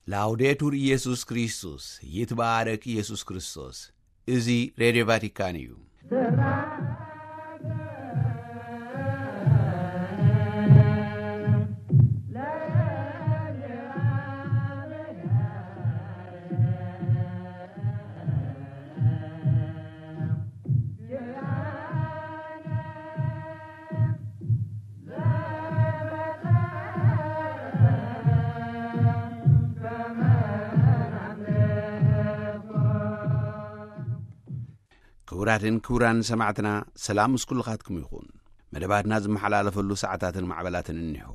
ላውዴቱር ኢየሱስ ክርስቶስ፣ ይትባረክ ኢየሱስ ክርስቶስ። እዚ ሬድዮ ቫቲካን እዩ። ክቡራትን ክቡራን ሰማዕትና፣ ሰላም ምስ ኩልኻትኩም ይኹን። መደባትና ዝመሓላለፈሉ ሰዓታትን ማዕበላትን እኒሆ።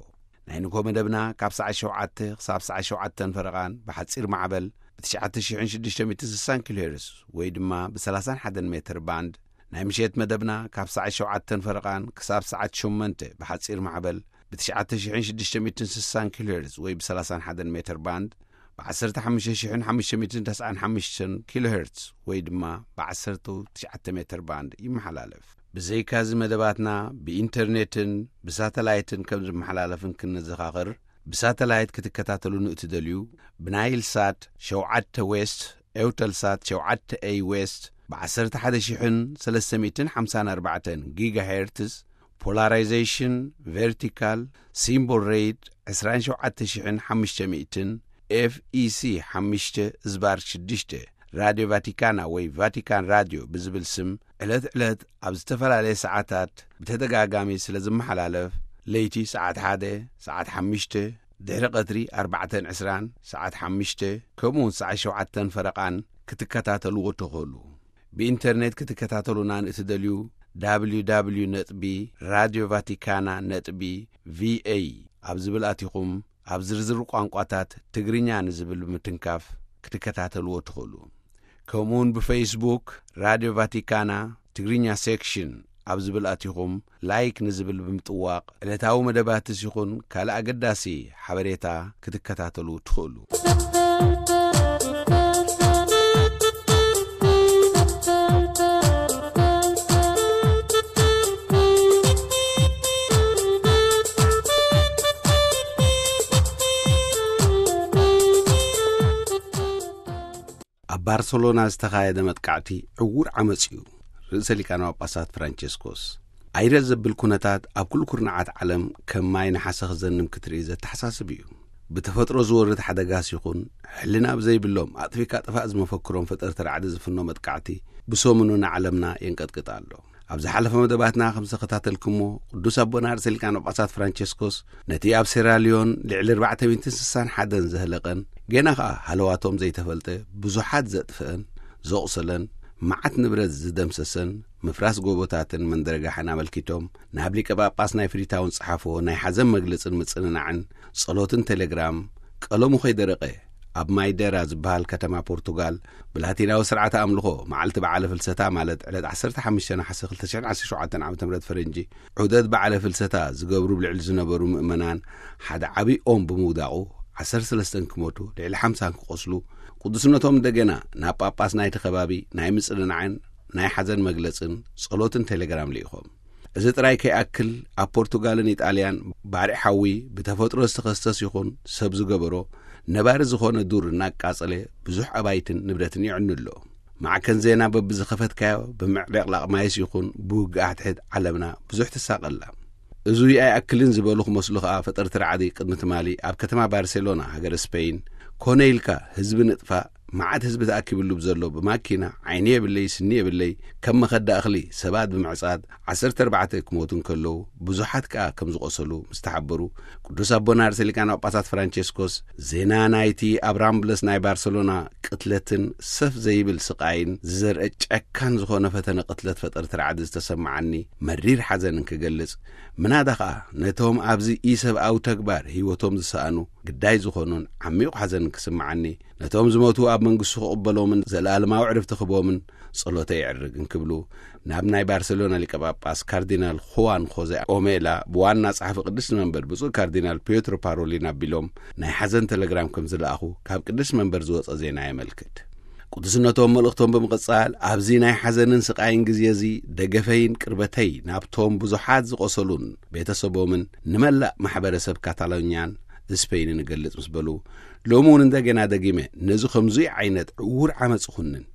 ናይ ንግሆ መደብና ካብ ሰዓት ሸውዓተ ክሳብ ሰዓት ሸውዓተን ፈረቓን ብሓጺር ማዕበል ብ ትሽዓተ ሽሕን ሽዱሽተ ሚእትን ስሳን ኪሎ ሄርዝ ወይ ድማ ብ30 ሜትር ባንድ፣ ናይ ምሸት መደብና ካብ ሰዓት ሸውዓተን ፈረቓን ክሳብ ሰዓት ሸሞንተ ብሓጺር ማዕበል ብ ትሽዓተ ሽሕን ሽዱሽተ ሚእትን ስሳን ኪሎ ሄርዝ ወይ ብ30 ሜትር ባንድ፣ ብ ዓሰርተ ሓሙሽተ ሽሕን ሓሙሽተ ሚእትን ተስዓን ሓሙሽተን ኪሎ ሄርዝ ወይ ድማ ብ ዓሰርተ ትሽዓተ ሜትር ባንድ ይመሓላለፍ። ብዘይካዚ መደባትና ብኢንተርኔትን ብሳተላይትን ከም ዝመሓላለፍን ክንዘኻኽር፣ ብሳተላይት ክትከታተሉ ንእትደልዩ፣ ብናይል ሳት ሸውዓተ ዌስት፣ ኤውተል ሳት ሸውዓተ ኤይ ዌስት፣ ብ ዓሰርተ ሓደ ሽሕን ሰለስተ ሚእትን ሓምሳን ኣርባዕተን ጊጋ ሄርትዝ፣ ፖላራይዜሽን ቨርቲካል፣ ሲምቦል ሬት ዕስራን ሸውዓተ ሽሕን ሓሙሽተ ሚእትን፣ ኤፍ ኢ ሲ ሓሙሽተ ዝባር ሽዱሽተ፣ ራድዮ ቫቲካና ወይ ቫቲካን ራድዮ ብዝብል ስም ዕለት ዕለት ኣብ ዝተፈላለየ ሰዓታት ብተደጋጋሚ ስለ ዝመሓላለፍ፣ ለይቲ ሰዓት ሓደ፣ ሰዓት ሓሙሽተ፣ ድሕሪ ቀትሪ ኣርባዕተን ዕስራን፣ ሰዓት ሓሙሽተ፣ ከምኡ እውን ሰዓት ሸውዓተን ፈረቓን ክትከታተልዎ ትኽእሉ። ብኢንተርኔት ክትከታተሉና ንእትደልዩ፣ www ነጥቢ ራድዮ ቫቲካና ነጥቢ ቪኤ ኣብ ዝብል ኣቲኹም፣ ኣብ ዝርዝር ቋንቋታት ትግርኛ ንዝብል ብምትንካፍ ክትከታተልዎ ትኽእሉ። ከምኡውን ብፌስቡክ ራድዮ ቫቲካና ትግርኛ ሴክሽን ኣብ ዝብል ኣቲኹም፣ ላይክ ንዝብል ብምጥዋቕ ዕለታዊ መደባትስ ይኹን ካልእ ኣገዳሲ ሓበሬታ ክትከታተሉ ትኽእሉ። ኣብ ባርሰሎና ዝተኻየደ መጥቃዕቲ ዕዉር ዓመጽ እዩ። ርእሰ ሊቃነ ጳጳሳት ፍራንቸስኮስ፣ ኣይረ ዘብል ኩነታት ኣብ ኩሉ ኩርናዓት ዓለም ከም ማይ ነሓሰ ክዘንም ክትርኢ ዘተሓሳስብ እዩ። ብተፈጥሮ ዝወርድ ሓደጋስ ይኹን፣ ሕልና ብዘይብሎም ኣጥፊካ ጥፋእ ዝመፈክሮም ፈጠርቲ ራዕዲ ዝፍኖ መጥቃዕቲ ብሰሙኑ ንዓለምና የንቀጥቅጥ ኣሎ። ኣብ ዝሓለፈ መደባትና ከም ዝተኸታተልኩሞ፣ ቅዱስ ኣቦና ርእሰ ሊቃነ ጳጳሳት ፍራንቸስኮስ ነቲ ኣብ ሴራልዮን ልዕሊ ኣርባዕተ ሚእትን ስሳን ሓደን ዘህለቐን፣ ገና ኸኣ ሃለዋቶም ዘይተፈልጠ ብዙሓት ዘጥፍአን ዘቑሰለን፣ መዓት ንብረት ዝደምሰሰን፣ ምፍራስ ጎቦታትን መንደርጋሕን ኣመልኪቶም፣ ናብ ሊቀ ጳጳስ ናይ ፍሪታውን ጸሓፍዎ ናይ ሓዘን መግለጽን ምጽንናዕን ጸሎትን ቴሌግራም፣ ቀለሙ ከይደረቐ፣ ኣብ ማይደራ ዝበሃል ከተማ ፖርቱጋል፣ ብላቲናዊ ስርዓተ ኣምልኾ፣ መዓልቲ በዓለ ፍልሰታ፣ ማለት ዕለት ዓሰርተ ሓሙሽተ ነሓሰ ክልተ ሽሕን ዓሰርተ ሸውዓተን ዓመተ ምህረት ፈረንጂ፣ ዑደት በዓለ ፍልሰታ ዝገብሩ ብልዕሊ ዝነበሩ ምእመናን ሓደ ዓብዪ ኦም ብምውዳቑ፣ ዓሰርተ ሰለስተን ክሞቱ፣ ልዕሊ ሓምሳን ክቖስሉ፣ ቅዱስነቶም እንደገና ናብ ጳጳስ ናይቲ ከባቢ ናይ ምጽንናዕን ናይ ሓዘን መግለጽን ጸሎትን ቴሌግራም ልኢኾም። እዚ ጥራይ ከይኣክል፣ ኣብ ፖርቱጋልን ኢጣልያን ባርዕ ሓዊ ብተፈጥሮ ዝተኸስተስ ይኹን ሰብ ዝገበሮ ነባሪ ዝኾነ ዱር እናቃጸለ ብዙሕ ኣባይትን ንብረትን የዕኑ ኣሎ። ማዕከን ዜና በብዝኸፈትካዮ ብምዕብለቕላቕ ማይስ ይኹን ብውግእ ኣሕድሕድ ዓለምና ብዙሕ ትሳቐላ። እዙይ ኣይኣክልን ዝበሉ ክመስሉ ኸኣ፣ ፈጠርቲ ራዕዲ ቅድሚ ትማሊ ኣብ ከተማ ባርሴሎና ሃገረ ስፔይን ኮነ ኢልካ ህዝቢ ንጥፋእ፣ መዓት ህዝቢ ተኣኪብሉ ብዘሎ ብማኪና ዓይኒ የብለይ ስኒ የብለይ ከም መኸዳ እኽሊ ሰባት ብምዕጻድ ዓሰርተ ኣርባዕተ ክሞቱ እንከለዉ ብዙሓት ከኣ ከም ዝቖሰሉ ምስ ተሓበሩ፣ ቅዱስ ኣቦና ርእሰ ሊቃነ ጳጳሳት ፍራንቸስኮስ ዜና ናይቲ ኣብ ራምብለስ ናይ ባርሰሎና ቅትለትን ሰፍ ዘይብል ስቓይን ዝዘርአ ጨካን ዝኾነ ፈተነ ቅትለት ፈጠርቲ ራዕዲ ዝተሰማዓኒ መሪር ሓዘን እንክገልጽ፣ ምናዳ ኸኣ ነቶም ኣብዚ ኢሰብኣዊ ተግባር ህይወቶም ዝሰኣኑ ግዳይ ዝኾኑን ዓሚቑ ሓዘን ክስምዓኒ፣ ነቶም ዝሞቱ ኣብ መንግስቱ ክቕበሎምን ዘለኣለማዊ ዕረፍቲ ክህቦምን ጸሎተ የዕርግ እንክብሉ ናብ ናይ ባርሴሎና ሊቀ ጳጳስ ካርዲናል ኹዋን ኾዜ ኦሜላ ብዋና ጸሓፊ ቅድስቲ መንበር ብፁዕ ካርዲናል ፒዮትሮ ፓሮሊን ኣቢሎም ናይ ሓዘን ቴሌግራም ከም ዝለኣኹ ካብ ቅድስቲ መንበር ዝወጸ ዜና የመልክት። ቅዱስነቶም መልእኽቶም ብምቕጻል፣ ኣብዚ ናይ ሓዘንን ስቓይን ግዜ እዚ ደገፈይን ቅርበተይ ናብቶም ብዙሓት ዝቖሰሉን ቤተሰቦምን ንመላእ ማሕበረሰብ ካታሎኛን ስፔይንን እገልጽ ምስ በሉ፣ ሎሚ እውን እንደገና ደጊመ ነዚ ከምዙይ ዓይነት ዕዉር ዓመፅ ይኹንን፣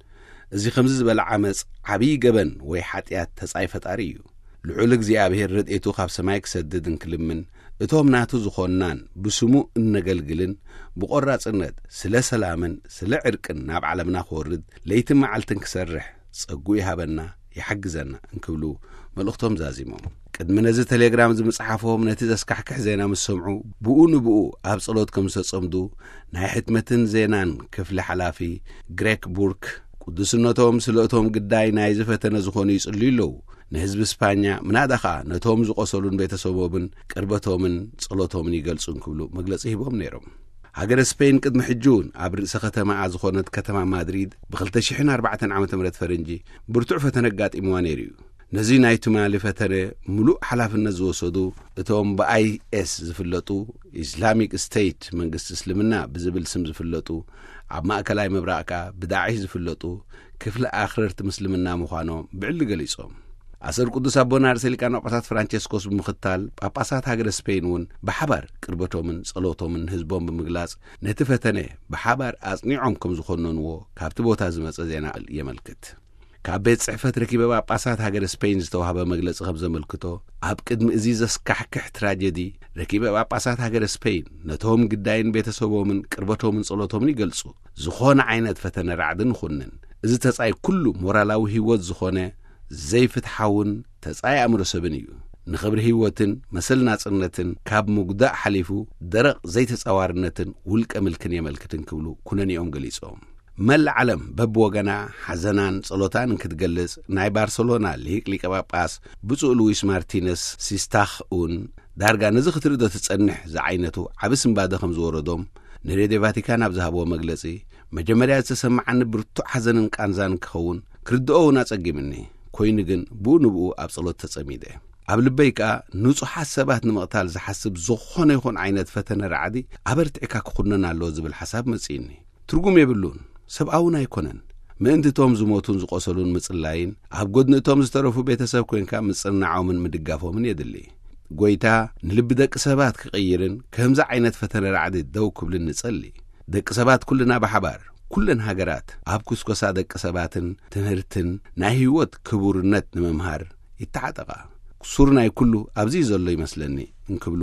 እዚ ከምዚ ዝበለ ዓመፅ ዓብዪ ገበን ወይ ሓጢኣት ተጻይ ፈጣሪ እዩ። ልዑል እግዚኣብሔር ረድኤቱ ካብ ሰማይ ክሰድድ እንክልምን፣ እቶም ናቱ ዝኾንናን ብስሙ እነገልግልን ብቆራጽነት ስለ ሰላምን ስለ ዕርቅን ናብ ዓለምና ክወርድ ለይትን መዓልትን ክሰርሕ ጸጉ ይሃበና፣ ይሓግዘና እንክብሉ መልእኽቶም ዛዚሞም። ቅድሚ ነዚ ቴሌግራም ዝምጽሓፎም ነቲ ዘስካሕክሕ ዜና ምስ ሰምዑ፣ ብኡ ንብኡ ኣብ ጸሎት ከም ዝተጸምዱ ናይ ሕትመትን ዜናን ክፍሊ ሓላፊ ግሬክ ቡርክ፣ ቅዱስነቶም ስለ እቶም ግዳይ ናይ ዝፈተነ ዝኾኑ ይጽልዩ ኣለዉ። ንህዝቢ ስፓኛ፣ ምናዳ ኸኣ ነቶም ዝቖሰሉን ቤተሰቦምን ቅርበቶምን ጸሎቶምን ይገልጹ እንክብሉ መግለጺ ሂቦም ነይሮም። ሃገረ ስፔን ቅድሚ ሕጂ እውን ኣብ ርእሰ ከተማኣ ዝኾነት ከተማ ማድሪድ ብ2004 ዓመተ ምህረት ፈረንጂ ብርቱዕ ፈተነ ኣጋጢምዋ ነይሩ እዩ። ነዚ ናይ ትማሊ ፈተነ ምሉእ ሓላፍነት ዝወሰዱ እቶም ብኣይኤስ ዝፍለጡ፣ ኢስላሚክ ስቴት፣ መንግስቲ እስልምና ብዝብል ስም ዝፍለጡ፣ ኣብ ማእከላይ ምብራቕ ከኣ ብዳዕሽ ዝፍለጡ ክፍሊ ኣኽረርቲ ምስልምና ምዃኖም ብዕሊ ገሊጾም። ኣሰር ቅዱስ ኣቦና ርእሰ ሊቃነ ጳጳሳት ፍራንቸስኮስ ብምኽታል፣ ጳጳሳት ሃገረ ስፔን እውን ብሓባር ቅርበቶምን ጸሎቶምን ንህዝቦም ብምግላጽ፣ ነቲ ፈተነ ብሓባር ኣጽኒዖም ከም ዝኾነንዎ ካብቲ ቦታ ዝመጸ ዜና የመልክት። ካብ ቤት ጽሕፈት ረኪበ ጳጳሳት ሃገረ ስፔን ዝተዋህበ መግለጺ ከም ዘመልክቶ፣ ኣብ ቅድሚ እዚ ዘስካሕክሕ ትራጀዲ፣ ረኪበ ጳጳሳት ሃገረ ስፔን ነቶም ግዳይን ቤተሰቦምን ቅርበቶምን ጸሎቶምን ይገልጹ። ዝኾነ ዓይነት ፈተነ ራዕድን ይኹንን፣ እዚ ተጻይ ኩሉ ሞራላዊ ህይወት ዝኾነ ዘይፍትሓውን ተጻይ ኣእምሮ ሰብን እዩ። ንኽብሪ ህይወትን መሰል ናጽነትን ካብ ምጉዳእ ሓሊፉ ደረቕ ዘይተጻዋርነትን ውልቀ ምልክን የመልክትን ክብሉ ኩነኔኦም ገሊጾም። መላእ ዓለም በብወገና ሓዘናን ጸሎታን እንክትገልጽ፣ ናይ ባርሰሎና ሊቅ ሊቀ ጳጳስ ብፁዕ ሉዊስ ማርቲነስ ሲስታኽ እውን ዳርጋ ነዚ ክትርኢ ዶ ትጸንሕ ዝዓይነቱ ዓቢ ስንባደ ከም ዝወረዶም ንሬድዮ ቫቲካን ኣብ ዝሃብዎ መግለጺ፣ መጀመርያ ዝተሰማዓኒ ብርቱዕ ሓዘንን ቃንዛን ክኸውን ክርድኦ እውን ኣጸጊምኒ። ኮይኑ ግን ብኡ ንብኡ ኣብ ጸሎት ተጸሚደ። ኣብ ልበይ ከኣ ንጹሓት ሰባት ንምቕታል ዝሓስብ ዝኾነ ይኹን ዓይነት ፈተነ ራዕዲ ኣበርቲዕካ ክኹነን ኣለዎ ዝብል ሓሳብ መጺእኒ። ትርጉም የብሉን፣ ሰብኣውን ኣይኮነን። ምእንቲ እቶም ዝሞቱን ዝቖሰሉን ምጽላይን፣ ኣብ ጎድኒ እቶም ዝተረፉ ቤተሰብ ኮንካ ምጽንናዖምን ምድጋፎምን የድሊ። ጎይታ ንልቢ ደቂ ሰባት ክቕይርን ከምዚ ዓይነት ፈተነ ራዕዲ ደው ክብልን ንጸሊ። ደቂ ሰባት ኩልና ብሓባር፣ ኩለን ሃገራት ኣብ ኩስኮሳ ደቂ ሰባትን ትምህርትን ናይ ህይወት ክቡርነት ንምምሃር ይተዓጠቓ። ሱር ናይ ኩሉ ኣብዚ ዘሎ ይመስለኒ እንክብሉ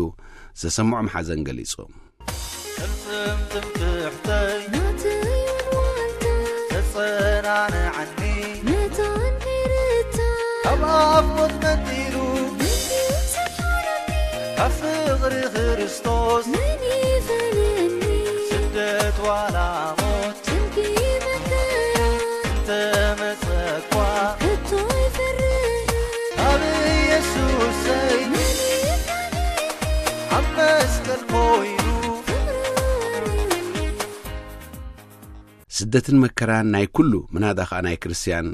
ዘሰምዖም ሓዘን ገሊጾም። ቅልጽም ትምክሕተይ ናተይ ወልዋልታ ተጸናንዓኒ መታን ከይርታ ካብ ኣፍ ሞት መንጢሉ መን ይሰሓረኒ ካብ ፍቕሪ ክርስቶስ መን ይፈልየኒ ስደት ዋላ ሞት ጭንቂ መከራ እንተመጸኳ ከቶ ይፈርህ ኣብ ኢየሱሰይ መን ይዳነኒ ኣብ መስቀል ኮይኑ ፍቕሩ ኣርዩኒ። ስደትን መከራን ናይ ኩሉ፣ ምናዳ ኸኣ ናይ ክርስትያን፣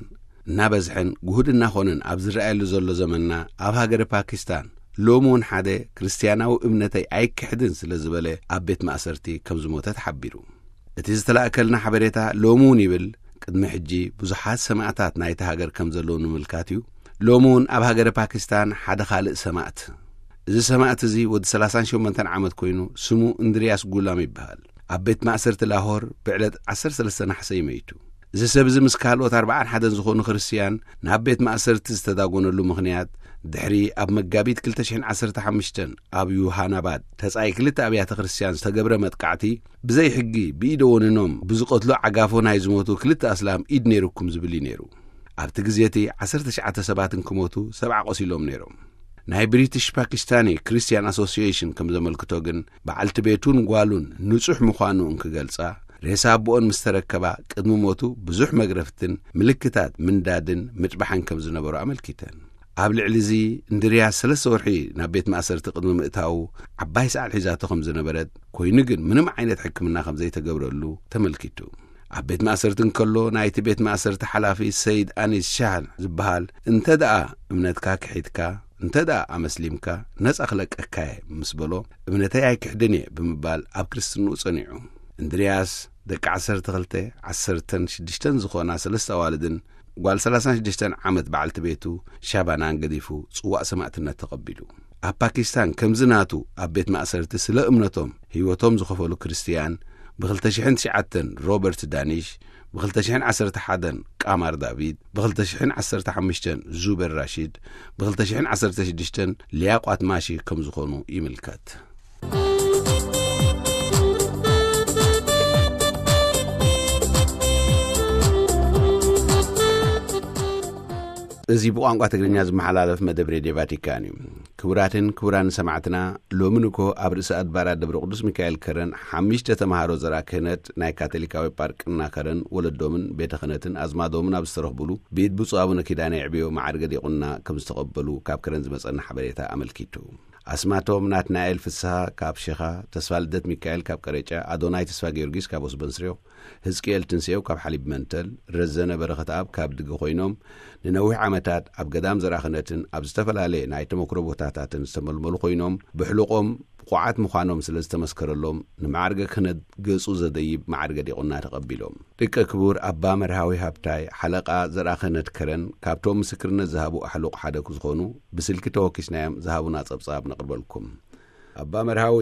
እናበዝሐን ጉሁድ እናኾነን ኣብ ዝረኣየሉ ዘሎ ዘመንና፣ ኣብ ሃገረ ፓኪስታን ሎሚ እውን ሓደ ክርስትያናዊ እምነተይ ኣይክሕድን ስለ ዝበለ ኣብ ቤት ማእሰርቲ ከም ዝሞተ ተሓቢሩ። እቲ ዝተላእከልና ሓበሬታ ሎሚ እውን ይብል፣ ቅድሚ ሕጂ ብዙሓት ሰማእታት ናይቲ ሃገር ከም ዘለዉ ንምልካት እዩ። ሎሚ እውን ኣብ ሃገረ ፓኪስታን ሓደ ካልእ ሰማእት። እዚ ሰማእት እዚ ወዲ 38 ዓመት ኮይኑ ስሙ እንድርያስ ጉላም ይበሃል። ኣብ ቤት ማእሰርቲ ላሆር ብዕለት 13 ነሓሰ እዩ መይቱ። እዚ ሰብ እዚ ምስ ካልኦት ኣርባዓን ሓደን ዝኾኑ ክርስትያን ናብ ቤት ማእሰርቲ ዝተዳጎነሉ ምኽንያት፣ ድሕሪ ኣብ መጋቢት 2015 ኣብ ዩሃናባድ ተጻይ ክልተ ኣብያተ ክርስትያን ዝተገብረ መጥቃዕቲ፣ ብዘይ ሕጊ ብኢደ ወኒኖም ብዝቐትሎ ዓጋፎ ናይ ዝሞቱ ክልተ ኣስላም ኢድ ነይርኩም ዝብል እዩ ነይሩ። ኣብቲ ግዜ እቲ 19 ሰባት እንክሞቱ፣ ሰብዓ ቆሲሎም ነይሮም። ናይ ብሪቲሽ ፓኪስታኒ ክርስትያን ኣሶሲዬሽን ከም ዘመልክቶ ግን፣ በዓልቲ ቤቱን ጓሉን ንጹሕ ምዃኑ እንክገልጻ፣ ሬሳ ኣቦኦን ምስ ተረከባ፣ ቅድሚ ሞቱ ብዙሕ መግረፍትን ምልክታት ምንዳድን ምጭባሕን ከም ዝነበሮ ኣመልኪተን። ኣብ ልዕሊ እዚ፣ እንድርያስ ሰለስተ ወርሒ ናብ ቤት ማእሰርቲ ቅድሚ ምእታዉ፣ ዓባይ ሰዓል ሒዛቶ ከም ዝነበረት፣ ኮይኑ ግን ምንም ዓይነት ሕክምና ከም ዘይተገብረሉ ተመልኪቱ። ኣብ ቤት ማእሰርቲ እንከሎ፣ ናይቲ ቤት ማእሰርቲ ሓላፊ ሰይድ ኣኒስ ሻህ ዝበሃል፣ "እንተ ደኣ እምነትካ ክሒድካ፣ እንተ ደኣ ኣመስሊምካ፣ ነጻ ክለቀካ እየ" ምስ በሎ፣ "እምነተይ ኣይክሕድን እየ" ብምባል ኣብ ክርስትንኡ ጸኒዑ። እንድርያስ ደቂ 12፣ 16 ዝኾና ሰለስተ ኣዋልድን ጓል 36 ዓመት በዓልቲ ቤቱ ሻባናን ገዲፉ ጽዋእ ሰማእትነት ተቐቢሉ። ኣብ ፓኪስታን ከምዚ ናቱ ኣብ ቤት ማእሰርቲ ስለ እምነቶም ህይወቶም ዝኸፈሉ ክርስትያን ብ2009 ሮበርት ዳኒሽ፣ ብ2011 ቃማር ዳቪድ፣ ብ2015 ዙበር ራሺድ፣ ብ2016 ሊያቋት ማሺ ከም ዝኾኑ ይምልከት። እዚ ብቋንቋ ትግርኛ ዝመሓላለፍ መደብ ሬድዮ ቫቲካን እዩ። ክቡራትን ክቡራን ሰማዕትና፣ ሎሚ ንኮ ኣብ ርእሰ ኣድባራት ደብረ ቅዱስ ሚካኤል ከረን ሓሙሽተ ተምሃሮ ዘርኣ ክህነት ናይ ካቶሊካዊ ጳርቅና ከረን ወለዶምን ቤተ ክህነትን ኣዝማዶምን ኣብ ዝተረኽቡሉ ብኢድ ብፁዕ ኣቡነ ኪዳነ የዕብዮ ማዕርገ ዲቁና ከም ዝተቐበሉ ካብ ከረን ዝመጸና ሓበሬታ ኣመልኪቱ። ኣስማቶም ናትናኤል ፍስሃ ካብ ሸኻ፣ ተስፋ ልደት ሚካኤል ካብ ቀረጫ፣ ኣዶናይ ተስፋ ጊዮርጊስ ካብ ወስበንስርዮ፣ ህዝቅኤል ትንስኤው ካብ ሓሊብ መንተል፣ ረዘነ በረኸት ኣብ ካብ ድገ ኮይኖም፣ ንነዊሕ ዓመታት ኣብ ገዳም ዘርኣ ክህነትን ኣብ ዝተፈላለየ ናይ ተመክሮ ቦታታትን ዝተመልመሉ ኮይኖም፣ ብሕሉቆም ብቑዓት ምዃኖም ስለ ዝተመስከረሎም፣ ንማዕርገ ክህነት ገጹ ዘደይብ ማዕርገ ዲቁና ተቐቢሎም። ደቀ ክቡር ኣባ መርሃዊ ሃብታይ፣ ሓለቓ ዘርኣ ክህነት ከረን፣ ካብቶም ምስክርነት ዝሃቡ ኣሕሉቕ ሓደ ክዝኾኑ፣ ብስልኪ ተወኪስናዮም ዝሃቡና ጸብጻብ ነቕርበልኩም። ኣባ መርሃዊ።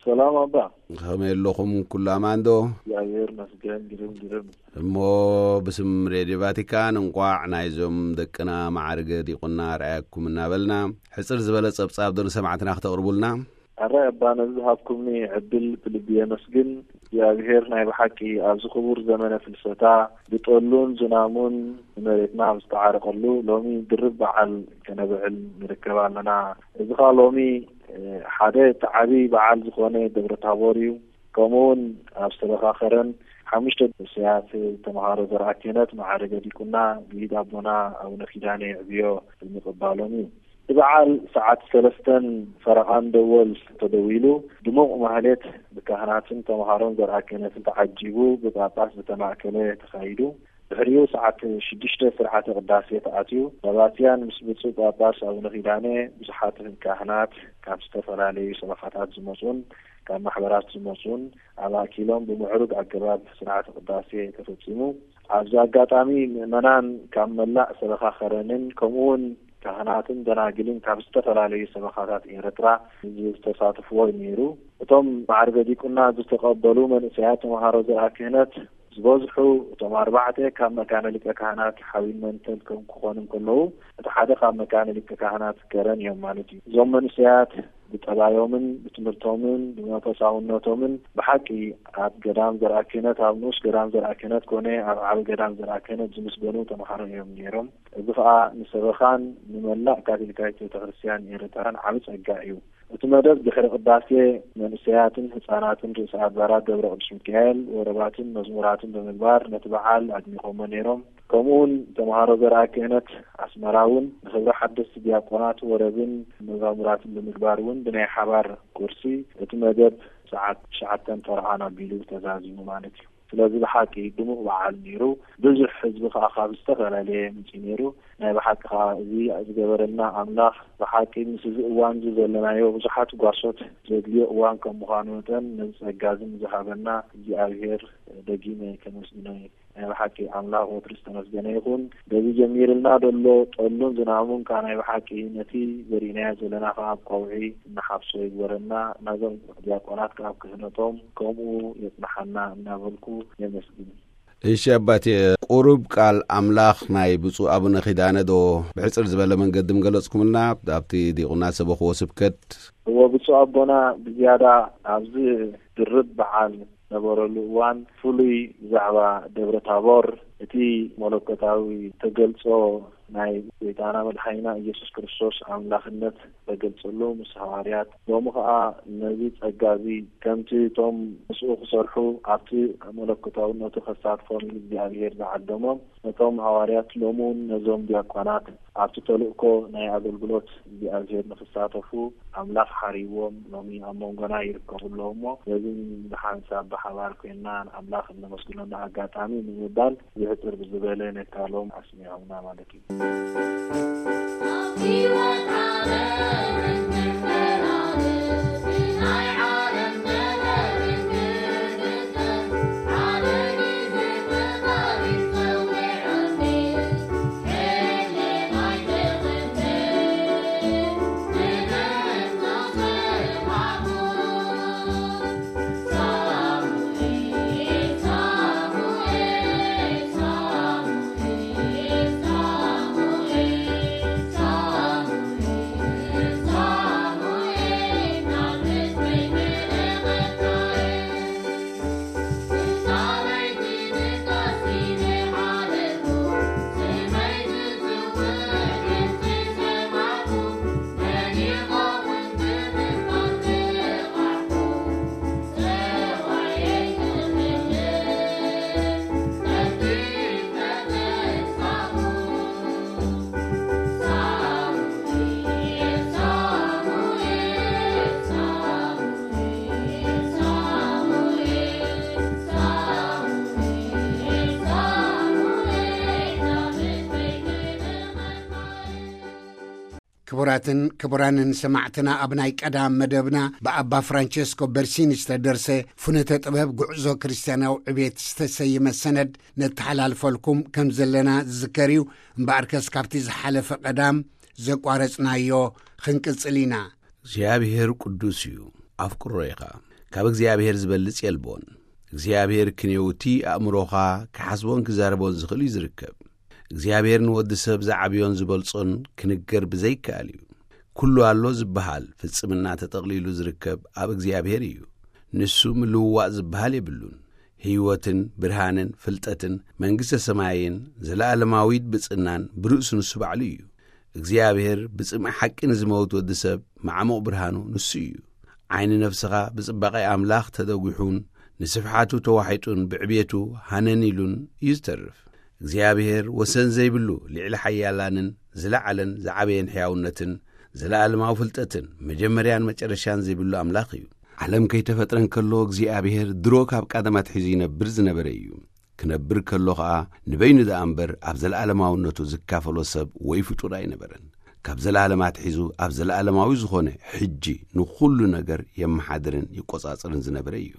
ሰላም ኣባ። ከመይ ኣለኹም? ኩሉ ኣማን ዶ? እግዚኣብሔር ይመስገን። ግርም፣ ግርም። እሞ ብስም ሬድዮ ቫቲካን እንቋዕ ናይዞም ደቅና ማዕርገ ዲቁና ረኣየኩም እናበልና፣ ሕጽር ዝበለ ጸብጻብ ዶ ንሰማዕትና ክተቕርቡልና? ኣረ ኣባ፣ ነዚ ዝሃብኩምኒ ዕድል ብልቢ የመስግን። እግዚኣብሔር ናይ ብሓቂ ኣብዚ ክቡር ዘመነ ፍልሰታ ብጠሉን ዝናሙን ንመሬትና ኣብ ዝተዓረቐሉ ሎሚ ድርብ በዓል ከነብዕል ንርከብ ኣለና። እዚ ኸኣ ሎሚ፣ እ፣ ሓደ እቲ ዓቢ በዓል ዝኾነ ደብረ ታቦር እዩ። ከምኡ እውን ኣብ ዝተበኻኸረን ሓሙሽተ ንእሰያት ተምሃሮ ዘርኣ ክህነት ማዕረገ ዲቁና ብኢድ ኣቦና ኣቡነ ኪዳነ ይዕብዮ ብምቕባሎም እዩ። እቲ በዓል ሰዓት ሰለስተን ፈረቓን ደወል ተደዊሉ፣ ድሙቕ ማህሌት ብካህናትን ተምሃሮን ዘርኣ ክህነትን ተዓጂቡ ብጳጳስ ዝተማእከለ ተኻይዱ። ድሕሪኡ ሰዓት ሽዱሽተ ስርዓተ ቅዳሴ ተኣትዩ። ሰባትያን ምስ ብፁዕ ጳጳስ ኣቡነ ኪዳነ ብዙሓት ካህናት ካብ ዝተፈላለዩ ሰበኻታት ዝመጹን ካብ ማሕበራት ዝመጹን ኣማእኪሎም ብምዕሩግ ኣገባብ ስርዓተ ቅዳሴ ተፈጺሙ። ኣብዚ ኣጋጣሚ ምእመናን ካብ መላእ ሰበኻ ከረንን ከምኡ እውን ካህናትን ደናግልን ካብ ዝተፈላለዩ ሰበኻታት ኤርትራ ዝተሳተፍዎ እዩ ነይሩ። እቶም ማዕርገ ዲቁና ዝተቐበሉ መንእሰያት ተምሃሮ ዘርኣ ክህነት ዝበዝሑ እቶም ኣርባዕተ ካብ መካነ ሊቀ ካህናት ሓዊን መንተል ከም ክኾኑ እንከለዉ፣ እቲ ሓደ ካብ መካነ ሊቀ ካህናት ከረን እዮም ማለት እዩ። እዞም መንእሰያት ብጠባዮምን ብትምህርቶምን ብመንፈሳውነቶምን ብሓቂ ኣብ ገዳም ዘርኣ ክህነት፣ ኣብ ንኡስ ገዳም ዘርኣ ክህነት ኮነ ኣብ ዓቢ ገዳም ዘርኣ ክህነት ዝምስገኑ ተምሃሮ እዮም ነይሮም። እዚ ኸኣ ንሰበኻን ንመላእ ካቶሊካዊት ቤተክርስትያን ኤርትራን ዓቢ ጸጋ እዩ። እቲ መደብ ድሕሪ ቅዳሴ መንእሰያትን ህጻናትን ርእሰ ኣድባራት ደብረ ቅዱስ ሚካኤል ወረባትን መዝሙራትን ብምግባር ነቲ በዓል ኣድሚቖሞ ነይሮም። ከምኡውን ተምሃሮ ዘርኣ ክህነት ኣስመራ እውን ንኽብሪ ሓደስቲ ዲያቆናት ወረብን መዛሙራትን ብምግባር እውን ብናይ ሓባር ቁርሲ እቲ መደብ ሰዓት ትሽዓተን ፈረቓን ኣቢሉ ተዛዚሙ ማለት እዩ። ስለዚ ብሓቂ ድሙቕ በዓል ነይሩ። ብዙሕ ህዝቢ ከኣ ካብ ዝተፈላለየ ምንጪ ነይሩ። ናይ ብሓቂ ከኣ እዚ ዝገበረልና ኣምላኽ ብሓቂ ምስ እዚ እዋን እዚ ዘለናዮ ብዙሓት ጓሶት ዘድልዮ እዋን ከም ምዃኑ መጠን ነዚ ጸጋ እዚ ንዝሃበና እግዚኣብሔር ደጊመ ከመስግኖ እየ። ናይ ብሓቂ ኣምላኽ ወትሩ ዝተመስገነ ይኹን። በዚ ጀሚርልና ዘሎ ጠሉን ዝናሙን ከኣ ናይ ብሓቂ ነቲ ዘሪእናዮ ዘለና ከኣ ኣብ ቀውዒ እናሓፍሶ ይግበረና። ናዞም ዲያቆናት ከኣ ኣብ ክህነቶም ከምኡ የጽንሓና እናበልኩ የመስግን። እሺ ኣባቴ፣ ቁሩብ ቃል ኣምላኽ ናይ ብፁዕ ኣቡነ ኪዳነ ዶ ብሕጽር ዝበለ መንገዲ ምገለጽኩምልና ኣብቲ ዲቁና ሰበኽዎ ስብከት? እወ፣ ብፁዕ ኣቦና ብዝያዳ ኣብዚ ድርብ በዓል ነበረሉ እዋን ፍሉይ ብዛዕባ ደብረ ታቦር እቲ መለኮታዊ ተገልጾ ናይ ጎይታና መድሓኒና ኢየሱስ ክርስቶስ ኣምላኽነት ተገልጸሉ ምስ ሃዋርያት፣ ሎሚ ኸኣ ነዚ ጸጋ እዚ ከምቲ እቶም ምስኡ ክሰርሑ ኣብቲ መለኮታውነቱ ከሳትፎም ኢሉ እግዚኣብሔር ዝዓደሞም ነቶም ሃዋርያት ሎሚ እውን ነዞም ዲያቆናት ኣብቲ ተልእኮ ናይ ኣገልግሎት እግዚኣብሔር ንክሳተፉ ኣምላኽ ሓሪዎም ሎሚ ኣብ መንጎና ይርከቡ ኣለዉ እሞ፣ በዚ ብሓንሳብ ብሓባር ኮይንና ንኣምላኽ እነመስግነሉ ኣጋጣሚ ንምባል ብሕጽር ብዝበለ ነካሎም ኣስሚዖምና ማለት እዩ። ክቡራትን ክቡራንን ሰማዕትና፣ ኣብ ናይ ቀዳም መደብና ብኣባ ፍራንቸስኮ በርሲኒ ዝተደርሰ ፍኖተ ጥበብ ጉዕዞ ክርስትያናዊ ዕቤት ዝተሰየመ ሰነድ ነተሓላልፈልኩም ከም ዘለና ዝዝከር እዩ። እምበኣርከስ ካብቲ ዝሓለፈ ቀዳም ዘቋረጽናዮ ክንቅጽል ኢና። እግዚኣብሔር ቅዱስ እዩ። ኣፍቅሮ ኢኻ። ካብ እግዚኣብሔር ዝበልጽ የልቦን። እግዚኣብሔር ክንየውቲ ኣእምሮኻ ክሓስቦን ክዛረቦን ዝኽእል እዩ ዝርከብ። እግዚኣብሔር ንወዲ ሰብ ዝዓብዮን ዝበልጾን ክንገር ብዘይከኣል እዩ። ኩሉ ኣሎ ዝበሃል ፍጽምና ተጠቕሊሉ ዝርከብ ኣብ እግዚኣብሔር እዩ። ንሱ ምልውዋጥ ዝበሃል የብሉን። ህይወትን ብርሃንን ፍልጠትን መንግስተ ሰማይን ዘለኣለማዊት ብጽናን ብርእሱ ንሱ ባዕሉ እዩ። እግዚኣብሔር ብጽምኢ ሓቂ ንዝመውት ወዲ ሰብ ማዕሙቕ ብርሃኑ ንሱ እዩ። ዓይኒ ነፍስኻ ብጽባቐ ኣምላኽ ተደጒሑን ንስፍሓቱ ተዋሒጡን ብዕቤቱ ሃነን ኢሉን እዩ ዝተርፍ። እግዚኣብሔር ወሰን ዘይብሉ ልዕሊ ሓያላንን ዝለዓለን ዝዓበየን ሕያውነትን ዘለኣለማዊ ፍልጠትን መጀመርያን መጨረሻን ዘይብሉ ኣምላኽ እዩ። ዓለም ከይተፈጥረ እንከሎ እግዚኣብሔር ድሮ ካብ ቀደም ኣትሒዙ ይነብር ዝነበረ እዩ። ክነብር ከሎ ኸኣ ንበይኑ ደኣ እምበር ኣብ ዘለኣለማውነቱ ዝካፈሎ ሰብ ወይ ፍጡር ኣይነበረን። ካብ ዘለኣለም ኣትሒዙ ኣብ ዘለኣለማዊ ዝኾነ ሕጂ ንኹሉ ነገር የመሓድርን ይቆጻጸርን ዝነበረ እዩ።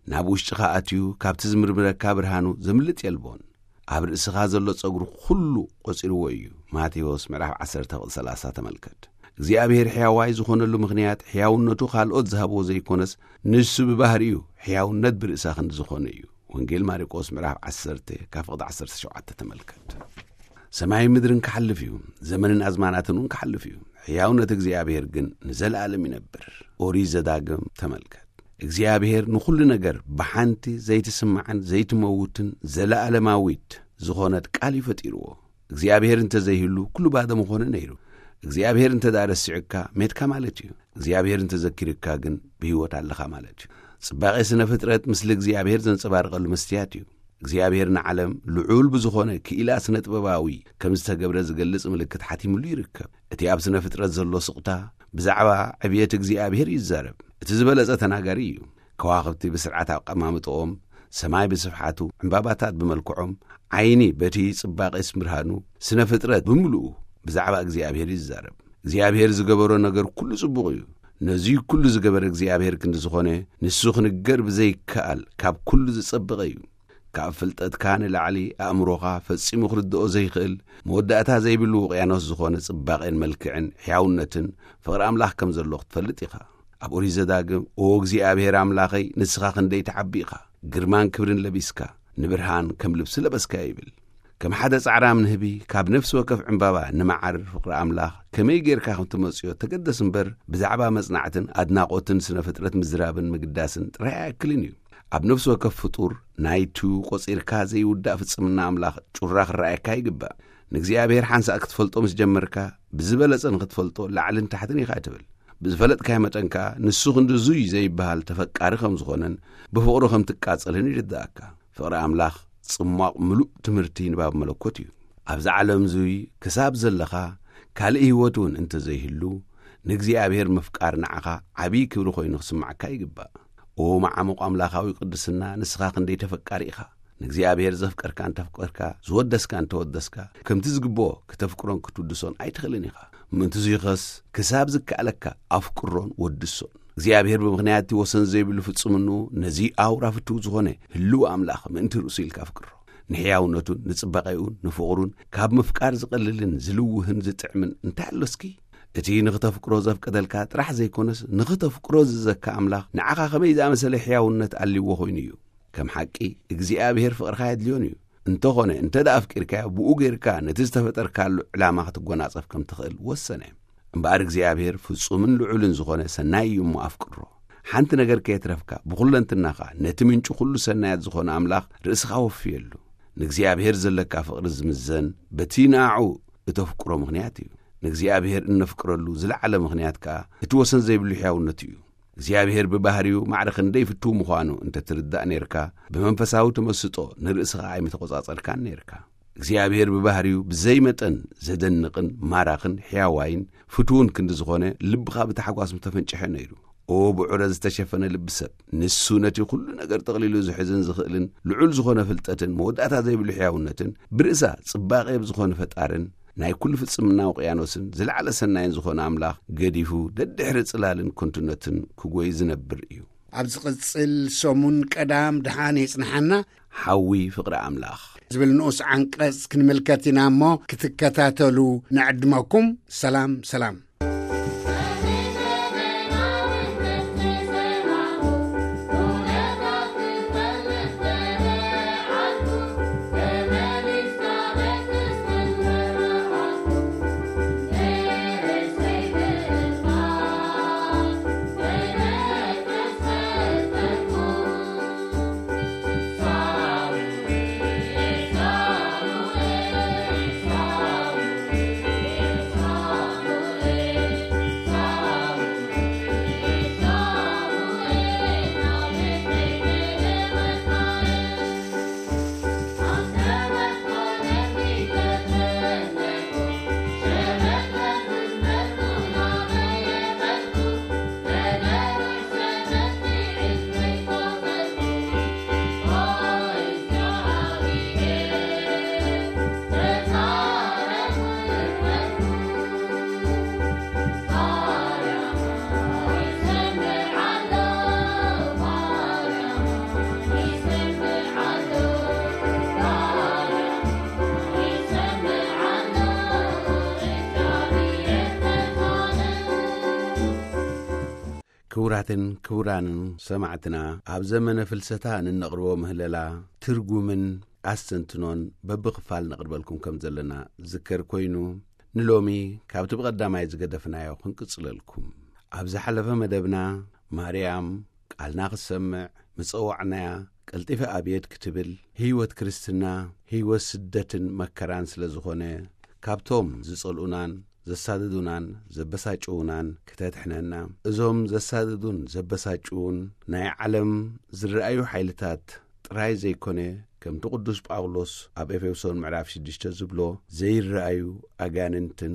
ናብ ውሽጥኻ ኣትዩ ካብቲ ዝምርምረካ ብርሃኑ ዘምልጥ የልቦን። ኣብ ርእስኻ ዘሎ ጸጉሪ ኩሉ ቆጺርዎ እዩ። ማቴዎስ ምዕራፍ ዓሰርተ ቁጽሪ ሰላሳ ተመልከት። እግዚኣብሔር ሕያዋይ ዝኾነሉ ምኽንያት ሕያውነቱ ካልኦት ዝሃብዎ ዘይኮነስ፣ ንሱ ብባህሪኡ ሕያውነት ብርእሳ ክንዲ ዝኾነ እዩ። ወንጌል ማርቆስ ምዕራፍ ዓሰርተ ካብ ፍቕዲ ዓሰርተ ሸውዓተ ተመልከት። ሰማይን ምድርን ክሓልፍ እዩ፣ ዘመንን ኣዝማናትን እውን ክሓልፍ እዩ፣ ሕያውነት እግዚኣብሔር ግን ንዘለኣለም ይነብር። ኦሪት ዘዳግም ተመልከት። እግዚኣብሔር ንኹሉ ነገር ብሓንቲ ዘይትስማዕን ዘይትመውትን ዘለኣለማዊት ዝኾነት ቃል እዩ ፈጢርዎ። እግዚኣብሔር እንተ ዘይህሉ ኩሉ ባዶ ምኾነ ነይሩ። እግዚኣብሔር እንተ ደኣ ረሲዑካ ሜትካ ማለት እዩ። እግዚኣብሔር እንተ ዘኪርካ ግን ብህይወት ኣለኻ ማለት እዩ። ጽባቐ ስነ ፍጥረት ምስሊ እግዚኣብሔር ዘንጸባርቐሉ መስትያት እዩ። እግዚኣብሔር ንዓለም ልዑል ብዝኾነ ክኢላ ስነ ጥበባዊ ከም ዝተገብረ ዝገልጽ ምልክት ሓቲምሉ ይርከብ። እቲ ኣብ ስነ ፍጥረት ዘሎ ስቕታ ብዛዕባ ዕብየት እግዚኣብሔር ይዛረብ። እቲ ዝበለጸ ተናጋሪ እዩ። ከዋኽብቲ ብስርዓት ኣቀማምጥኦም፣ ሰማይ ብስፍሓቱ፣ ዕምባባታት ብመልክዖም፣ ዓይኒ በቲ ጽባቐ ብርሃኑ፣ ስነ ፍጥረት ብምሉኡ ብዛዕባ እግዚኣብሔር ይዛረብ። እግዚኣብሔር ዝገበሮ ነገር ኩሉ ጽቡቕ እዩ። ነዚ ኩሉ ዝገበረ እግዚኣብሔር ክንዲ ዝኾነ፣ ንሱ ክንገር ብዘይከኣል ካብ ኩሉ ዝጸበቐ እዩ። ካብ ፍልጠትካ ንላዕሊ ኣእምሮኻ ፈጺሙ ክርድኦ ዘይክእል፣ መወዳእታ ዘይብሉ ውቅያኖስ ዝኾነ ጽባቐን መልክዕን ሕያውነትን ፍቕሪ ኣምላኽ ከም ዘሎ ክትፈልጥ ኢኻ። ኣብ ኦሪት ዘዳግም፣ "ኦ እግዚኣብሔር ኣምላኸይ፣ ንስኻ ክንደይ ትዓቢ ኢኻ፣ ግርማን ክብርን ለቢስካ፣ ንብርሃን ከም ልብሲ ለበስካ" ይብል። ከም ሓደ ጻዕራም ንህቢ፣ ካብ ነፍሲ ወከፍ ዕምባባ ንመዓር ፍቕሪ ኣምላኽ ከመይ ጌርካ ከም ትመጽዮ ተገደስ እምበር፣ ብዛዕባ መጽናዕትን ኣድናቖትን ስነ ፍጥረት ምዝራብን ምግዳስን ጥራይ ኣያክልን እዩ። ኣብ ነፍሲ ወከፍ ፍጡር ናይቱ ቆጺርካ ዘይውዳእ ፍጽምና ኣምላኽ ጩራ ክረኣየካ ይግባእ። ንእግዚኣብሔር ሓንሳእ ክትፈልጦ ምስ ጀመርካ፣ ብዝበለጸ ንኽትፈልጦ ላዕልን ታሕትን ኢኻ ትብል። ብዝፈለጥካዮ መጠን ከኣ፣ ንሱ ክንዲ እዙይ ዘይበሃል ተፈቃሪ ከም ዝኾነን ብፍቕሩ ከም ትቃጸልን ይርድኣካ። ፍቕሪ ኣምላኽ ጽሟቕ ምሉእ ትምህርቲ ንባብ መለኮት እዩ። ኣብዚ ዓለም እዙይ ክሳብ ዘለኻ፣ ካልእ ህይወት እውን እንተ ዘይህሉ፣ ንእግዚኣብሔር ምፍቃር ንዓኻ ዓብዪ ክብሪ ኮይኑ ክስማዓካ ይግባእ። ኦ መዓሙቕ ኣምላኻዊ ቅድስና፣ ንስኻ ክንደይ ተፈቃሪ ኢኻ! ንእግዚኣብሔር ዘፍቀርካ እንተፍቀርካ፣ ዝወደስካ እንተወደስካ፣ ከምቲ ዝግብኦ ክተፍቅሮን ክትውድሶን ኣይትኽእልን ኢኻ። ምእንቲ እዙይ ኸስ ክሳብ ዝከኣለካ ኣፍቅሮን ወድሶን። እግዚኣብሔር ብምኽንያት እቲ ወሰን ዘይብሉ ፍጹምንኡ ነዚ ኣውራ ፍቱው ዝኾነ ህልው ኣምላኽ ምእንቲ ርእሱ ኢልካ ኣፍቅሮ። ንሕያውነቱን ንጽባቐኡን ንፍቕሩን ካብ ምፍቃር ዝቐልልን ዝልውህን ዝጥዕምን እንታይ ኣሎ እስኪ? እቲ ንኽተፍቅሮ ዘፍቀደልካ ጥራሕ ዘይኮነስ፣ ንኽተፍቅሮ ዝዘካ ኣምላኽ ንዓኻ ከመይ ዝኣመሰለ ሕያውነት ኣልዎ ኮይኑ እዩ። ከም ሓቂ እግዚኣብሔር ፍቕርኻ የድልዮን እዩ። እንተኾነ፣ እንተ ደኣ ኣፍቂርካዮ፣ ብኡ ጌርካ ነቲ ዝተፈጠርካሉ ዕላማ ክትጎናጸፍ ከም ትኽእል ወሰነ። እምበኣር እግዚኣብሔር ፍጹምን ልዑልን ዝኾነ ሰናይ እዩ እሞ ኣፍቅሮ። ሓንቲ ነገር ከየትረፍካ ብኹለንትናኻ ነቲ ምንጪ ኩሉ ሰናያት ዝኾነ ኣምላኽ ርእስኻ ወፍየሉ። ንእግዚኣብሔር ዘለካ ፍቕሪ ዝምዘን በቲ ንኣዑ እተፍቅሮ ምኽንያት እዩ። ንእግዚኣብሔር እነፍቅረሉ ዝለዓለ ምኽንያት ከኣ እቲ ወሰን ዘይብሉ ሕያውነቱ እዩ። እግዚኣብሔር ብባህሪኡ ማዕረ ክንደይ ፍቱው ምዃኑ እንተ ትርዳእ ኔርካ፣ ብመንፈሳዊ ተመስጦ ንርእስኻ ኣይምተቖጻጸርካን ኔርካ። እግዚኣብሔር ብባህሪኡ ብዘይ መጠን ዘደንቕን ማራኽን ሕያዋይን ፍቱውን ክንዲ ዝኾነ፣ ልብኻ ብታሕጓስ ምተፈንጨሐ ነይሩ። ኦ ብዑረ ዝተሸፈነ ልቢ ሰብ፣ ንሱ ነቲ ኩሉ ነገር ጠቕሊሉ ዝሕዝን ዝኽእልን ልዑል ዝኾነ ፍልጠትን መወዳእታ ዘይብሉ ሕያውነትን ብርእሳ ጽባቐ ብዝኾነ ፈጣርን ናይ ኩሉ ፍጽምና ውቅያኖስን ዝለዓለ ሰናይን ዝኾነ ኣምላኽ ገዲፉ ደድሕሪ ጽላልን ከንቱነትን ክጎይ ዝነብር እዩ። ኣብ ዝቕጽል ሰሙን ቀዳም ደሓን የጽንሓና። ሓዊ ፍቕሪ ኣምላኽ ዝብል ንኡስ ዓንቀጽ ክንምልከት ኢና እሞ ክትከታተሉ ንዕድመኩም። ሰላም ሰላም። ክቡራትን ክቡራንን ሰማዕትና፣ ኣብ ዘመነ ፍልሰታ ንነቕርቦ ምህለላ ትርጉምን ኣስተንትኖን በብኽፋል ነቕርበልኩም ከም ዘለና ዝከር ኮይኑ፣ ንሎሚ ካብቲ ብቐዳማይ ዝገደፍናዮ ክንቅጽለልኩም። ኣብ ዝሓለፈ መደብና ማርያም ቃልና ክትሰምዕ ምጸዋዕናያ ቀልጢፈ ኣብየት ክትብል፣ ህይወት ክርስትና ህይወት ስደትን መከራን ስለ ዝኾነ፣ ካብቶም ዝጸልኡናን ዘሳድዱናን ዘበሳጭዉናን ክተድሕነና፣ እዞም ዘሳድዱን ዘበሳጭዉን ናይ ዓለም ዝረኣዩ ሓይልታት ጥራይ ዘይኮነ፣ ከምቲ ቅዱስ ጳውሎስ ኣብ ኤፌሶን ምዕራፍ ሽዱሽተ ዝብሎ፣ ዘይረኣዩ ኣጋንንትን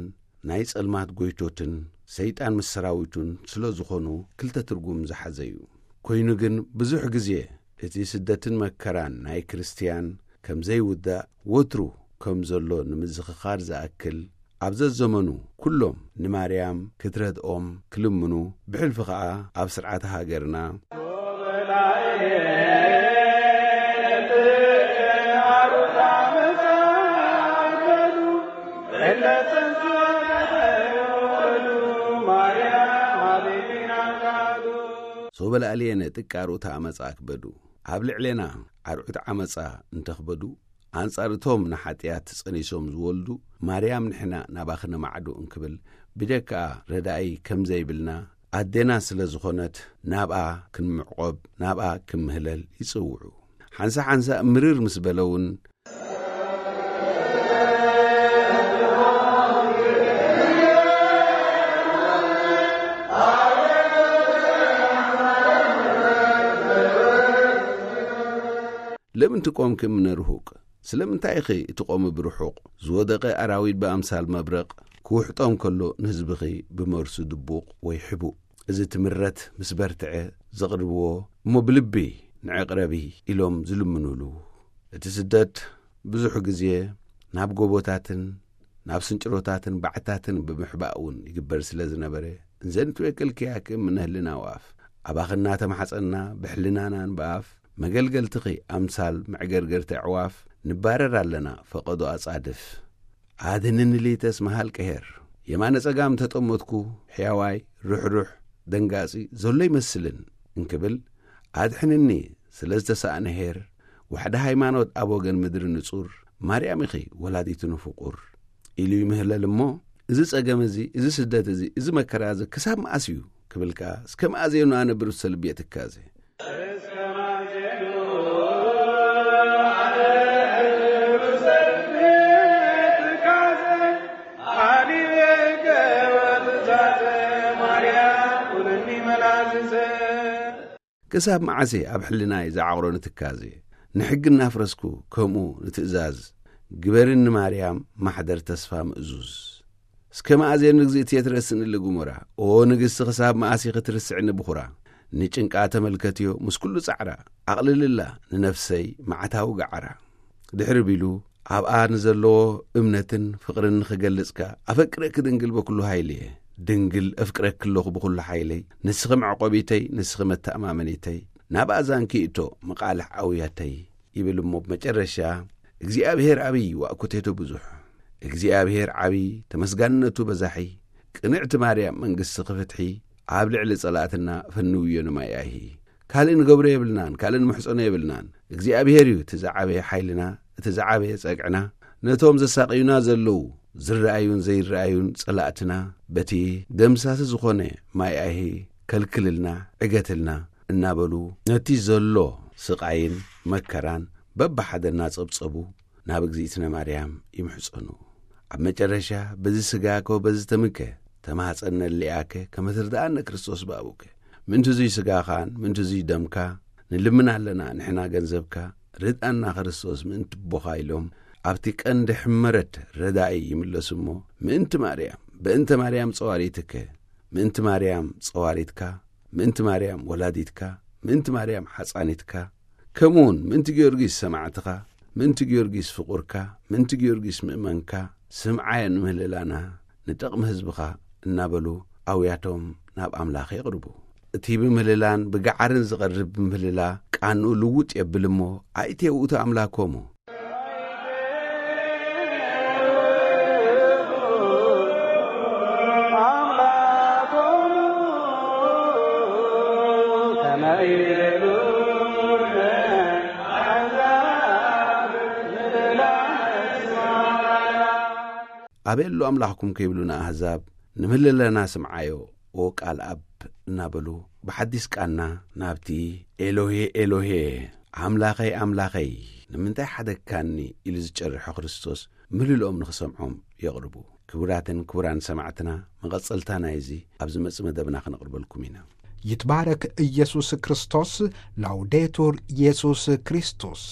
ናይ ጸልማት ጎይቶትን ሰይጣን ምስ ሰራዊቱን ስለ ዝኾኑ ክልተ ትርጉም ዝሓዘ እዩ። ኮይኑ ግን ብዙሕ ግዜ እቲ ስደትን መከራን ናይ ክርስትያን ከም ዘይውዳእ ወትሩ ከም ዘሎ ንምዝኽኻር ዝኣክል፣ ኣብ ዘዘመኑ ኩሎም ንማርያም ክትረድኦም ክልምኑ፣ ብሕልፊ ኸኣ ኣብ ስርዓተ ሃገርና ሶበ ለኣልየነ ጥቀ ኣርዑተ ዓመፃ ኣክበዱ። ኣብ ልዕሌና ኣርዑት ዓመፃ እንተኽበዱ፣ ኣንጻር እቶም ንሓጢኣት ጸኒሶም ዝወልዱ፣ ማርያም ንሕና ናባኺ ንማዕዶ እንክብል፣ ብጀካኣ ረዳኢ ከም ዘይብልና፣ ኣዴና ስለ ዝኾነት፣ ናብኣ ክንምዕቆብ፣ ናብኣ ክምህለል ይጽውዑ። ሓንሳ ሓንሳ ምርር ምስ በለ እውን፣ ለምን ትቆምኪ እምነ ርሁቅ? ስለምንታይ ኢኺ እቲ ቆሚ ብርሑቕ? ዝወደቐ ኣራዊት ብኣምሳል መብረቕ ክውሕጦም ከሎ፣ ንህዝብኺ ብመርሱ ድቡቕ ወይ ሕቡእ። እዚ ትምረት ምስ በርትዐ ዘቕርብዎ፣ እሞ ብልቢ ንዒ ቅረቢ ኢሎም ዝልምኑሉ። እቲ ስደት ብዙሕ ግዜ ናብ ጎቦታትን ናብ ስንጭሮታትን ባዕታትን ብምሕባእ እውን ይግበር ስለ ዝነበረ፣ እንዘ ንትቤክልክያኪ እምነ ህልና ወኣፍ፣ ኣባኺ እናተማሕጸና ብሕልናናን ብኣፍ መገልገልትኺ ኣምሳል መዕገርገርቲ ኣዕዋፍ ንባረር ኣለና ፈቐዶ ኣጻድፍ። ኣድንኒ ሊተስ መሃል ቀሄር፣ የማነ ጸጋም ተጠመትኩ፣ ሕያዋይ፣ ርሕሩሕ፣ ደንጋጺ ዘሎ ይመስልን እንክብል፣ ኣድሕንኒ ስለ ዝተሳእነ ሄር፣ ዋሕዲ ሃይማኖት ኣብ ወገን ምድሪ ንጹር፣ ማርያም ኢኺ ወላዲትኑ ፍቑር ኢሉ ይምህለል እሞ፣ እዚ ጸገም እዚ፣ እዚ ስደት እዚ፣ እዚ መከራ እዚ ክሳብ መኣስ እዩ ክብል ከኣ፣ እስከ መኣዜኑ ኣነ ብርሰ ልቢ እየ ትካዜ። ክሳብ መዓስ ኣብ ሕልናይ ዝዓቕሮ ንትካዜ? ንሕጊ እናፍረስኩ ከምኡ ንትእዛዝ፣ ግበርኒ ማርያም ማሕደር ተስፋ ምእዙዝ። እስከ መኣዜኑ ንግዝእቲ እየ ትረስኒ ልግሙራ? ኦ ንግስቲ፣ ክሳብ መኣስ ኢኺ ትርስዕኒ ብኹራ? ንጭንቃ ተመልከትዮ ምስ ኩሉ ጻዕራ፣ ኣቕልልላ ንነፍሰይ መዓታዊ ገዓራ። ድሕሪ ቢሉ ኣብኣ ንዘለዎ እምነትን ፍቕርን ንኽገልጽ ከኣ፣ ኣፈቅረኪ ድንግል በኩሉ ሃይልየ። ድንግል፣ እፍቅረኪ ኣለኹ ብኹሉ ሓይለይ። ንስኺ መዕቆቢተይ፣ ንስኺ መተኣማመኒተይ። ናብ ኣዛንኪ እቶ፣ መቓልሕ ኣውያተይ። ይብል እሞ፣ ብመጨረሻ፣ እግዚኣብሔር ዓብዪ፣ ዋእኩቴቱ ብዙሕ። እግዚኣብሔር ዓብዪ፣ ተመስጋንነቱ በዛሒ። ቅንዕቲ ማርያም፣ መንግሥትኺ ፍትሒ፣ ኣብ ልዕሊ ጸላእትና፣ ፈንውዮ ንማይ ኣይሂ። ካልእ ንገብሮ የብልናን፣ ካልእ ንምሕጸኖ የብልናን። እግዚኣብሔር እዩ እቲ ዝዓበየ ሓይልና፣ እቲ ዝዓበየ ጸግዕና። ነቶም ዘሳቕዩና ዘለዉ፣ ዝረኣዩን ዘይረኣዩን ጸላእትና፣ በቲ ደምሳሲ ዝኾነ ማይ ኣይሂ ከልክልልና፣ ዕገትልና እናበሉ፣ ነቲ ዘሎ ስቓይን መከራን በብሓደ እናጸብጸቡ ናብ እግዚእትነ ማርያም ይምሕጸኑ። ኣብ መጨረሻ፣ በዚ ስጋኮ በዚ ተምከ፣ ተማሕጸነሊኣከ፣ ከመ ትርድኣነ ክርስቶስ ብኣቡከ። ምእንቲ እዙይ ስጋኻን ምእንቲ እዙይ ደምካ ንልምን ኣለና፣ ንሕና ገንዘብካ፣ ርድኣና ክርስቶስ ምእንቲ ኣቦኻ ኢሎም፣ ኣብቲ ቀንዲ ሕመረት ረዳኢ ይምለሱ እሞ፣ ምእንቲ ማርያም፣ በእንተ ማርያም ጸዋሪትከ፣ ምእንቲ ማርያም ጸዋሪትካ፣ ምእንቲ ማርያም ወላዲትካ፣ ምእንቲ ማርያም ሓጻኒትካ፣ ከምኡውን ምእንቲ ጊዮርጊስ ሰማዕትኻ፣ ምእንቲ ጊዮርጊስ ፍቑርካ፣ ምእንቲ ጊዮርጊስ ምእመንካ፣ ስምዓዮ ንምህልላና፣ ንጠቕሚ ህዝብኻ እናበሉ ኣውያቶም ናብ ኣምላኽ የቕርቡ። እቲ ብምህልላን ብገዓርን ዝቐርብ ምህልላ ቃንኡ ልውጥ የብል እሞ፣ ኣይቴ ውእቱ ኣምላኮሙ። ኣበይ ኣሎ ኣምላኽኩም ከይብሉ ንኣህዛብ ንምህልለና ስምዓዮ፣ ኦ ቃል ኣብ እናበሉ ብሓዲስ ቃና ናብቲ ኤሎሄ ኤሎሄ፣ ኣምላኸይ ኣምላኸይ ንምንታይ ሓደግካኒ ኢሉ ዝጨርሖ ክርስቶስ ምህልልኦም ንኽሰምዖም የቕርቡ። ክቡራትን ክቡራን ሰማዕትና፣ መቐጸልታ ናይዚ ኣብ ዝመጽእ መደብና ክነቕርበልኩም ኢና። ይትባረክ ኢየሱስ ክርስቶስ። ላውዴቱር ኢየሱስ ክርስቶስ።